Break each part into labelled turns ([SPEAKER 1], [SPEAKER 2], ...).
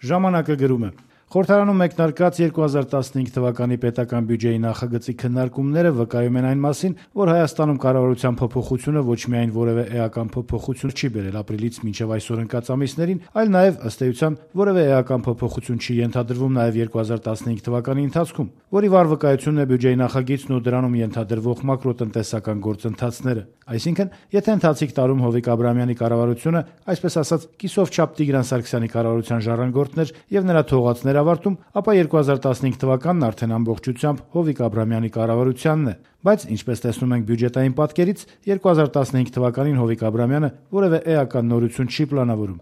[SPEAKER 1] Ժամանակը գրում է. Խորհրդարանում մեկնարկած 2015 թվականի պետական բյուջեի նախագծի քննարկումները վկայում են այն մասին, որ Հայաստանում կառավարության փոփոխությունը ոչ միայն որևէ էական փոփոխություն չի բերել ապրիլից մինչև այսօր ընկած ամիսներին, այլ նաև ըստ էության որևէ էական փոփոխություն չի ենթադրվում նաև 2015 թվականի ընթացքում, որի վառ վկայությունն է բյուջեի նախագիծն ու դրանում ենթադրվող մակրոտնտեսական գործընթացները։ Այսինքն, եթե ընթացիկ տարում Հովիկ Աբրահամյանի կառավարությունը, այսպես ասած, կիսով չափ Տիգրան Սարգսյանի կառավարության ժառանգորդներ եւ նրա թողածներ ավարտում, ապա 2015 թվականն արդեն ամբողջությամբ Հովիկ Աբրահամյանի կառավարությանն է, բայց ինչպես տեսնում ենք բյուջետային պատկերից, 2015 թվականին Հովիկ Աբրահամյանը որևէ էական նորություն չի պլանավորում։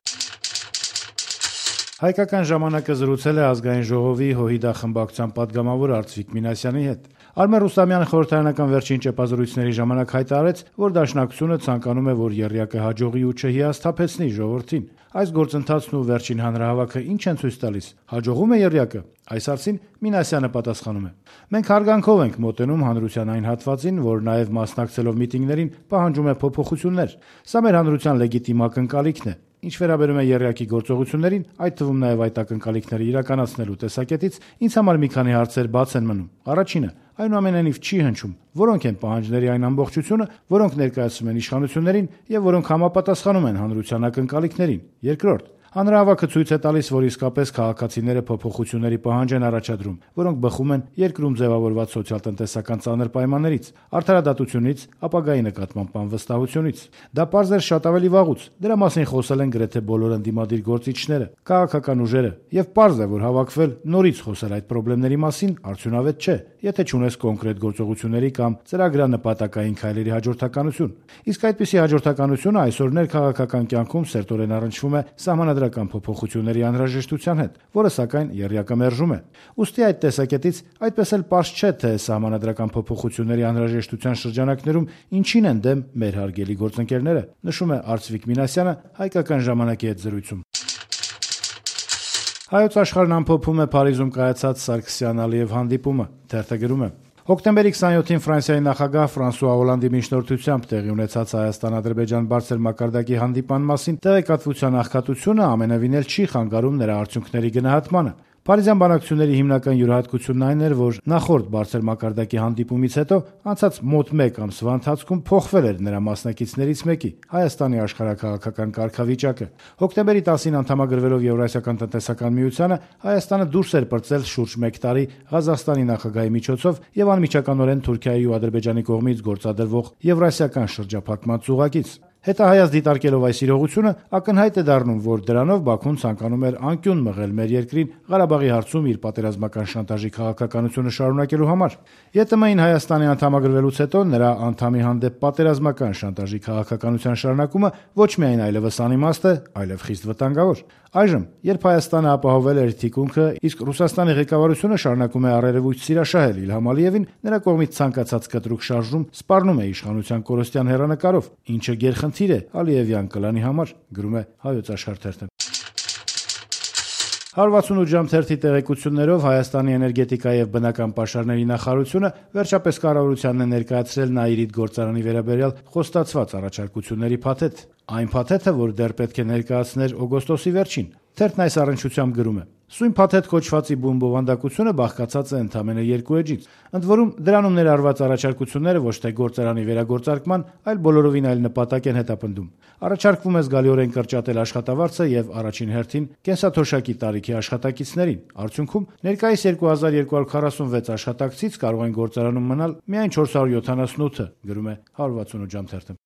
[SPEAKER 1] Հայկական ժամանակը զրուցել է Ազգային ժողովի ՀՅԴ խմբակցության պատգամավոր Արծվիկ Մինասյանի հետ։ Արմեն Ռուստամյանը խորհրդարանական վերջին ճեպազրույցների ժամանակ հայտարարեց, որ Դաշնակցությունը ցանկանում է, որ եռյակը հաջողի ու չհիասթափեցնի ժողովրդին։ Այս գործընթացն ու վերջին հանրահավաքը ինչ են ցույց տալիս։ Հաջողում է եռյակը։ Այս հարցին Մինասյանը պատասխանում է. Մենք հարգանքով ենք մոտենում հանրության այն հատվածին, որ նաև մասնակցելով միտինգներին պահանջում է փոփոխություններ։ Սա մեր հանրության լեգիտիմ ակնկալիքն է։ Ինչ վերաբերում է եռյակի գործողություններին, այդ թվում նաև այդ ակնկալիքները իրականացնելու տեսակետից, ինձ համար մի քանի հարցեր բաց են մնում։ Առաջինը, այնուամենայնիվ չի հնչում, որոնք են պահանջների այն ամբողջությունը, որոնք ներկայացում են իշխանություններին եւ որոնք համապատասխանում են հանրության ակնկալիքներին։ Երկրորդ, հանրահավաքը ցույց է տալիս, որ իսկապես քաղաքացիները փոփոխությունների պահանջ են առաջադրում, որոնք բխում են երկրում ձևավորված սոցիալ-տնտեսական ծանր պայմաններից, արդարադատությունից, ապագայի նկատմամբ անվստահությունից։ Դա պարզ էր շատ ավելի վաղուց։ Դրա մասին խոսել են գրեթե բոլոր ընդդիմադիր գործիչները, քաղաքական ուժերը, եւ պարզ է, որ հավաքվել նորից խոսել այդ խնդիրների մասին արդյունավետ չէ, եթե չունես կոնկրետ գործողությունների կամ ծրագրանպատակային քայլերի հաջորդականություն։ Իսկ այդպիսի հաջորդականությունը այսօր ներքաղաքական կյանքում սերտորեն առնչվում է սահմանադրական փոփոխությունների անհրաժեշտության հետ, որը սակայն եռյակը մերժում է։ Ուստի այդ տեսակետից այդպես էլ պարզ չէ, թե սահմանադրական փոփոխությունների անհրաժեշտության շրջանակներում ինչին են դեմ մեր հարգելի գործընկերները, նշում է Արծվիկ Մինասյանը Հայկական ժամանակի հետ զրույցում։ Հայոց աշխարհն ամփոփում է Փարիզում կայացած Սարգսյան-Ալիև հանդիպումը։ Թերթը գրում է. Հոկտեմբերի 27-ին Ֆրանսիայի նախագահ Ֆրանսուଆ Օլանդի միջնորդությամբ տեղի ունեցած Հայաստան-Ադրբեջան բարձր մակարդակի հանդիպման մասին տեղեկատվության աղքատությունը ամենևին էլ չի խանգարում նրա արդյունքների գնահատմանը։ Փարիզյան բանակցությունների հիմնական յուրահատկությունն այն էր, որ նախորդ բարձր մակարդակի հանդիպումից հետո անցած մոտ 1 ամսվա ընթացքում փոխվել էր նրա մասնակիցներից մեկի՝ Հայաստանի աշխարհաքաղաքական կարգավիճակը։ Հոկտեմբերի 10-ին անդամագրվելով Եվրասիական տնտեսական միությանը, Հայաստանը դուրս էր պրծել շուրջ 1 տարի Ղազախստանի նախագահի միջոցով եւ անմիջականորեն Թուրքիայի ու Ադրբեջանի կողմից գործադրվող Եվրասիական շրջափակման ծուղակից։ Հետահայաց դիտարկելով այս իրողությունը, ակնհայտ է դառնում, որ դրանով Բաքուն ցանկանում էր անկյուն մղել մեր երկրին Ղարաբաղի հարցում իր պատերազմական շանտաժի քաղաքականությունը շարունակելու համար։ ԵՏՄ-ին Հայաստանի անդամագրվելուց հետո նրա անդամի հանդեպ պատերազմական շանտաժի քաղաքականության շարունակումը ոչ միայն այլևս անիմաստ է, այլև խիստ վտանգավոր։ Այժմ, երբ Հայաստանը ապահովել էր թիկունքը, իսկ Ռուսաստանի ղեկավարությունը շարունակում է առերևույթ սիրաշահել Իլհամ Ալիևին, նրա կողմից ցանկացած կտրուկ շարժում սպառնում է իշխանության կորստյան հեռանկարով, ինչը գերխնդիր է Ալիևյան կլանի համար, գրում է Հայոց աշխարհ թերթը։ 168 ժամ թերթի տեղեկություններով Հայաստանի էներգետիկա եւ բնական պաշարների նախարարությունը վերջապես կառավարությանն է ներկայացրել Նաիրիդ գործարանի վերաբերյալ խոստացված առաջարկությունների փաթեթ։ Այն փաթեթը, որ դեռ պետք է ներկայացներ օգոստոսի վերջին։ Թերթն այս առնչությամբ գրում է. Սույն փաթեթ կոչվածի բումբովանդակությունը բաղկացած է ընդամենը 2 էջից։ Ընդ որում դրանում ներառված առաջարկությունները ոչ թե գործարանի վերագործարկման, այլ բոլորովին այլ նպատակ են հետապնդում։ Առաջարկվում է զգալիորեն կրճատել աշխատավարձը եւ առաջին հերթին կենսաթոշակի տարիքի աշխատակիցներին։ Արդյունքում ներկայիս 2246 աշխատակցից կարող են գործարանում մնալ միայն 478-ը, գրում է 168 ժամ թերթը։